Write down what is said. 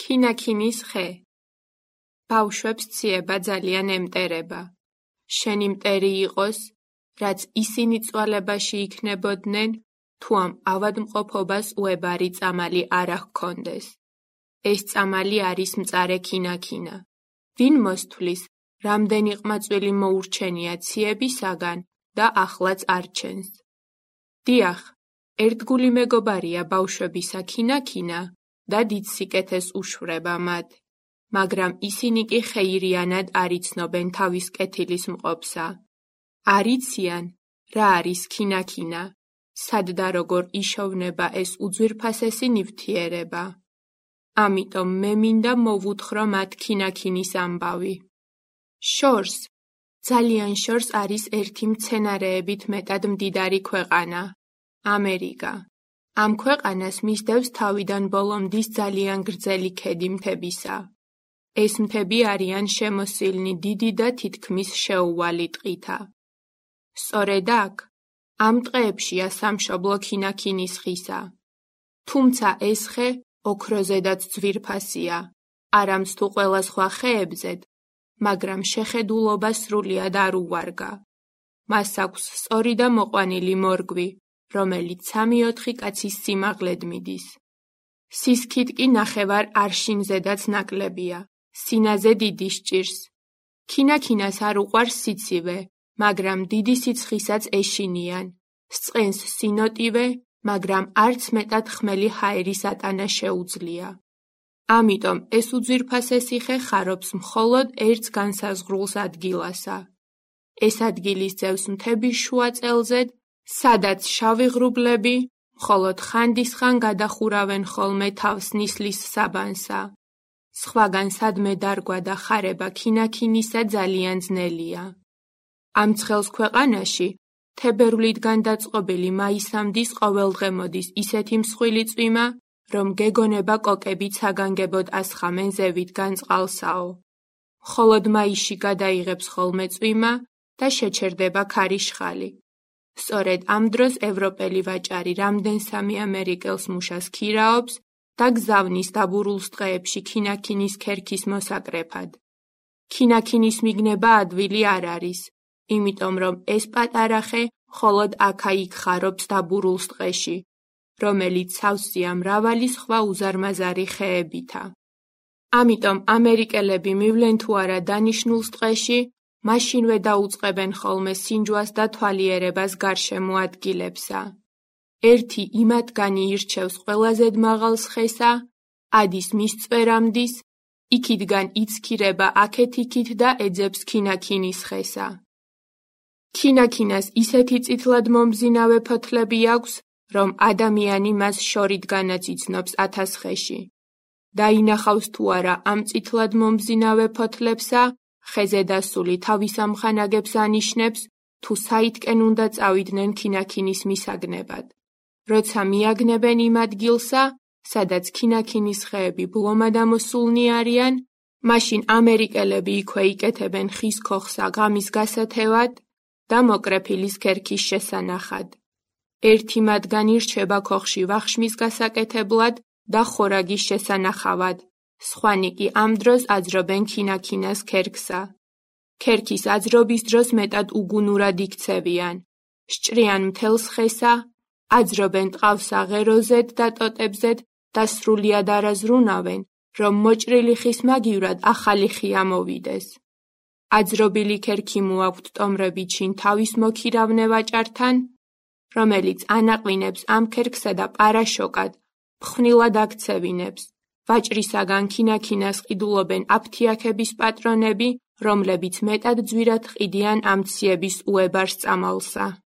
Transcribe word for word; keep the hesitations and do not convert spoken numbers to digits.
ქინაქინის ხე. ბავშვებს ციება ძალიან ემტერება. შენი მტერი იყოს, რაც ისინი წვალებაში იქნებოდნენ, თუ ამ ავადმყოფობას უებარი წამალი არ ჰქონდეს. ეს წამალი არის მწარე ქინაქინა. ვინ მოსთვლის, რამდენი ყმაწვილი მოურჩენია ციებისაგან და ახლაც არჩენს. დიახ, ერთგული მეგობარია ბავშვებისა ქინაქინა და დიდ სიკეთეს უშვება მათ, მაგრამ ისინი კი ხეირიანად არ იცნობენ თავის კეთილის მყოფსა. არ იციან, რა არის ქინაქინა, სად და როგორ იშოვნება ეს უძვირფასესი ნივთიერება. ამიტომ მე მინდა მოვუთხრო მათ ქინაქინის ამბავი. შორს, ძალიან შორს არის ერთი მცენარეებით მეტად მდიდარი ქვეყანა, ამერიკა. ამ ქვეყანას მისდევს თავიდან ბოლომდის ძალიან გრძელი ქედი მთებისა. ეს მთები არიან შემოსილნი დიდი და თითქმის შეუვალი ტყითა. სწორედ აქ, ამ ტყეებშია სამშობლო ქინაქინის ხისა. თუმცა ეს ხე ოქროზედაც ძვირფასია, არამც თუ ყველა სხვა ხეებზედ, მაგრამ შეხედულობა სრულიად არ უვარგა. მას აქვს სწორი და მოყვანილი მორგვი, რომელიც სამი-ოთხი კაცის სიმაღლედ მიდის. სისქით კი ნახევარ არშინზედაც ნაკლებია, სინაზე დიდი სჭირს. ქინაქინას არ უყვარს სიცივე, მაგრამ დიდი სიცხისაც ეშინიან. სწყენს სინოტივე, მაგრამ არც მეტად ხმელი ჰაერის ატანა შეუძლია. ამიტომ ეს უძვირფასესი ხე ხარობს მხოლოდ ერთ განსაზღვრულ ადგილასა. ეს ადგილი ძევს მთების შუა წელზედ, სადაც შავი ღრუბლები მხოლოდ ხანდისხან გადახურავენ ხოლმე თავს ნისლის საბანსა. სხვაგან სადმე დარგვა და ხარება ქინაქინისა ძალიან ძნელია. ამ ცხელს ქვეყანაში თებერვლიდან დაწყობილი მაისამდის ყოველდღე მოდის ისეთი მსხვილი წვიმა, რომ გეგონება კოკებიც აგანგებოდ ასხამენ ზევიდან წყალსაო. მხოლოდ მაისში გადაიღებს ხოლმე წვიმა და შეჩერდება ქარიშხალი. სწორედ ამ დროს ევროპელი ვაჭარი რამდენსამი ამერიკელს მუშას ქირაობს და გზავნის დაბურულს ტყეებში ქინაქინის ქერქის მოსაკრეფად. ქინაქინის მიგნება ადვილი არ არის, იმიტომ რომ ეს პატარა ხე მხოლოდ აქა-იქ ხარობს დაბურულს ტყეში, რომელიც სავსეა მრავალი სხვა უზარმაზარი ხეებითა. ამიტომ ამერიკელები მივლენ თუ არა დანიშნულს ტყეში, მაშინვე დაუწყებენ ხოლმე სინჯვას და თვალიერებას გარშემო ადგილებსა. ერთი იმათგანი ირჩევს ყველაზე მაღალს ხესა, ადის მის წვერამდის, იქითგან იცქირება აქეთ-იქით და ეძებს ქინაქინის ხესა. ქინაქინას ისეთი წითლად მომბზინავე ფოთლები აქვს, რომ ადამიანი მას შორიდგანაც იცნობს ათას ხეში. დაინახავს თუ არა ამ წითლად მომბზინავე ფოთლებსა, ხეზე დასული თავის ამხანაგებს ანიშნებს, თუ საითკენ უნდა წავიდნენ ქინაქინის მისაგნებად. როცა მიაგნებენ იმ ადგილსა, სადაც ქინაქინის ხეები ბლომად ამოსულნი არიან, მაშინ ამერიკელები იქვე იკეთებენ ხის ქოხსა ღამის გასათევად და მოკრეფილის ქერქის შესანახად. ერთი მათგანი რჩება ქოხში ვახშმის გასაკეთებლად და ხორაგის შესანახავად, სხვანი კი ამ დროს აძრობენ ქინაქინას ქერქსა. ქერქის აძრობის დროს მეტად უგუნურად იქცევიან, სჭრიან მთელს ხესა, აძრობენ ტყავსა ღეროზედ და ტოტებზედ და სრულიად არაზრუნავენ, რომ მოჭრილი ხის მაგივრად ახალი ხი ამოვიდეს. აძრობილი ქერქი მოაქვთ ტომრები ჩინ თავის მოქირავნე ვაჭართან, რომელიც ანაყლინებს ამ ქერქსა და პარაშოკად, ფხვნილად აქცევინებს. ვაჭრისაგან ქინაქინას ყიდულობენ აფთიაქების პატრონები, რომლებიც მეტად ძვირად ყიდიან ამ ციების უებარს წამალსა.